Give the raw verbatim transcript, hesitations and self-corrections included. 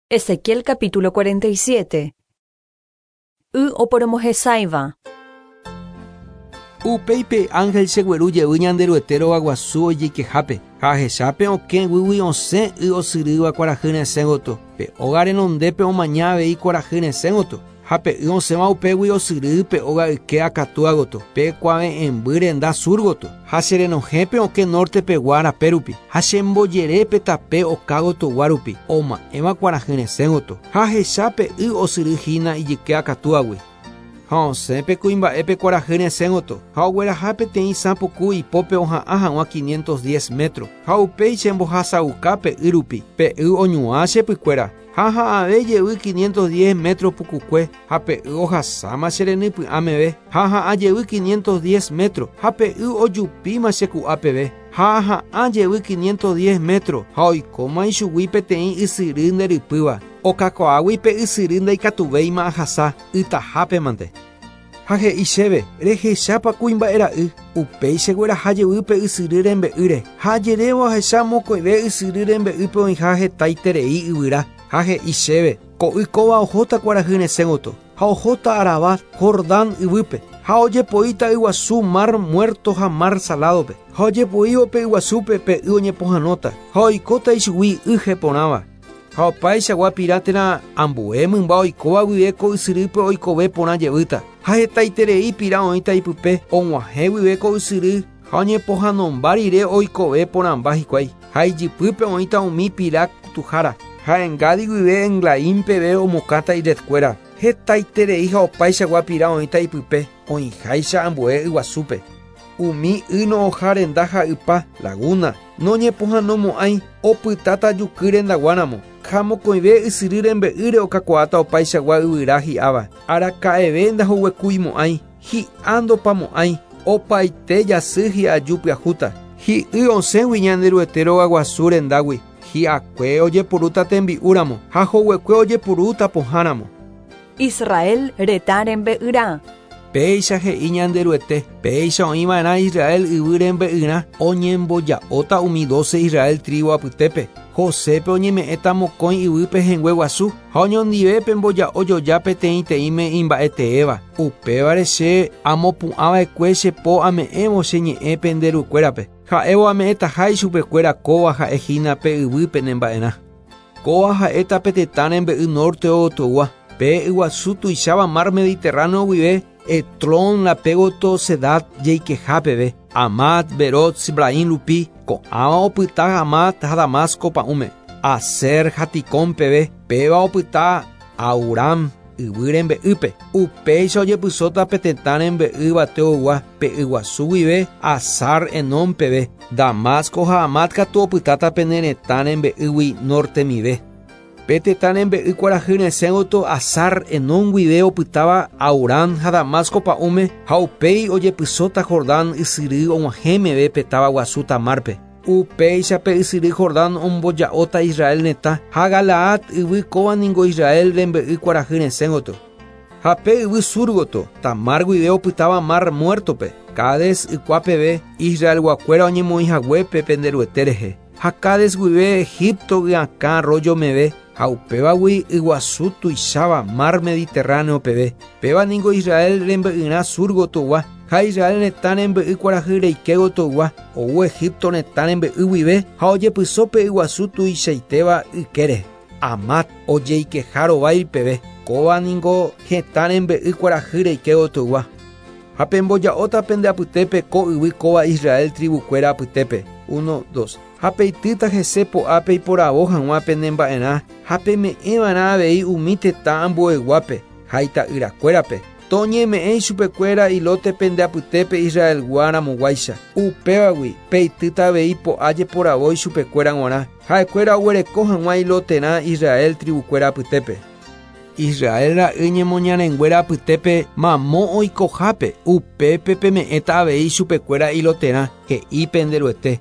Ezequiel capítulo cuarenta y siete. Y oporomohesaiva. Upéipe ángel chegueru jevy Ñanderuete rogaguasu ojeikehápe ha ahechápe okẽ guýgui osẽ y osyrýva kuarahy resẽ gotyo. Pe óga renondépe omaña avei kuarahy resẽ gotyo ha pe y osẽva upégui osyry pe óga yke akatúa gotyo pe kuave'ẽmby renda sur gotyo ha cherenohẽpe okẽ nortepegua rape rupi ha chembojerépe tape oka gotyogua rupi oma'ẽva kuarahy resẽ gotyo ha ahechápe y osyryhína ijyke akatúagui. Ha osẽpe kuimba'épe kuarahy resẽ gotyo ha ogueraha peteĩ sã puku ipópe oha'ã hag̃ua quinientos diez metro ha upéi chembohasauka pe y rupi pe y oñuã chepykuéra ha ha'ave jevy quinientos diez metro pukukue ha pe y ohasáma cherenypy'ã meve ha ha'ã jevy quinientos diez metro ha pe y ojupíma cheku'a peve ha ha'ã jevy quinientos diez metro ha oikóma ichugui peteĩ ysyry nderypýva okakuaágui pe ysyry ndaikatuvéima ahasa ytahápemante. Ha he'i chéve rehechápa kuimba'era'y upéi chegueraha jevy pe ysyry rembe'ýre ha ajerévo ahecha mokõive ysyry rembe'ýpe oĩha hetaiterei yvyra ha he'i chéve ko'y kóva ohóta kuarahy resẽ gotyo ha ohóta Arabá Jordán yvýpe ha ojepoíta yguasu Mar Muerto ha Mar Saladope ha ojepoívo pe yguasúpe pe y oñepohãnóta ha oikóta ichugui y heporãva ha opaichagua pira térã ambue mymba oikóva guive ko ysyrýpe oikove porã jevýta ha hetaiterei pira oĩta ipype og̃uahẽ guive ko ysyry ha oñepohãnomba rire oikove porãmba hikuái ha ijypýpe oĩta umi pira kutuhára ha Engadi guive Englaim peve omokãta iretkuéra hetaiterei ha opaichagua pira oĩta ipype oĩháicha ambue yguasúpe umi y no'õha renda ha ypa laguna noñepohãnomo'ãi opytáta juky rendaguáramo ha mokõive ysyry rembe'ýre okakuaáta opaichagua yvyra hi'áva araka'eve ndahoguekuimo'ãi hi'a ndopamo'ãi opaite jasy hi'aju pyahúta hi'y osẽgui Ñanderuete rogaguasu rendágui hi'akue ojepurúta tembi'úramo ha hoguekue ojepurúta pohãramo. Israel retã rembe'yrã. Péicha he'i Ñanderuete, péicha oĩva'erã Israel yvy rembe'yrã oñemboja'óta umi doce Israel tribu apytépe. Josépe oñeme'ẽta mokõi yvýpe hengue guasu ha oñondivépe mboja'o joja peteĩteĩme imba'eteéva. Upévare che amopu'ãva'ekue che po ame'ẽvo che ñe'ẽ pende rukuérape. Ha'évo ame'ẽtaha ichupekuéra kóva ha'ehína pe yvýpe nemba'erã. Kóva ha'éta pe tetã rembe'y norte gotyogua. Pe yguasu tuicháva Mar Mediterráneo guive Etlón rape gotyo Sedad jeikeha peve Amat, Berot, Sibraim rupi ko'ãva opyta Hamat ha Damasco pa'ũme Aser ha Tikón peve péva opyta Auram yvy rembe'ýpe upéicha ojepysóta pe tetã rembe'y yvateogua pe yguasu guive Asar Enon peve Damasco ha Hamat katu opytáta pene retã rembe'ýgui nortemive. Pe tetã rembe'y kuarahy resẽ gotyo Asar Enon guive opytáva Aurán ha Damasco pa'ũme ha upéi ojepysóta Jordán ysyry og̃uahẽ meve pe táva guasu Tamárpe. Upéicha pe ysyry Jordán omboja'óta Israel retã ha Galaad yvy kóva ningo Israel rembe'y kuarahy resẽ gotyo. Ha pe yvy sur gotyo Tamar guive opytáva Mar Muertope Cades ykua peve Israelguakuéra oñemoĩhaguépe Penderuete rehe. Ha Cades guive Egipto gyakã arroyo meve ha upévagui yguasu tuicháva Mar Mediterráneo peve. Péva ningo Israel rembe'yrã sur gotyogua ha Israel retã rembe'y kuarahy reike gotyogua ou Egipto retã rembe'y guive ha ojepyso pe yguasu tuichaitéva ykére Amat ojeikeha rovái peve kóva ningo hetã rembe'y kuarahy reike gotyogua. Ha pemboja'óta pende apytépe ko yvy kóva Israel tribukuéra apytépe. Uno, dos. Ha peitýta hese po'ápe iporavo hag̃ua penemba'erã ha peme'ẽva'erã avei umi tetã ambueguápe ha ita'yrakuérape. Toñeme'ẽ ichupekuéra ilote pende apytépe Israelgua ramoguáicha. Upévagui peitýta avei po'a jeporavo ichupekuéra g̃uarã ha'ekuéra oguereko hag̃ua iloterã Israel tribukuéra apytépe. Israel ra'y ñemoñarenguéra apytépe mamo oikohápe upépe peme'ẽta avei ichupekuéra iloterã he'i Penderuete.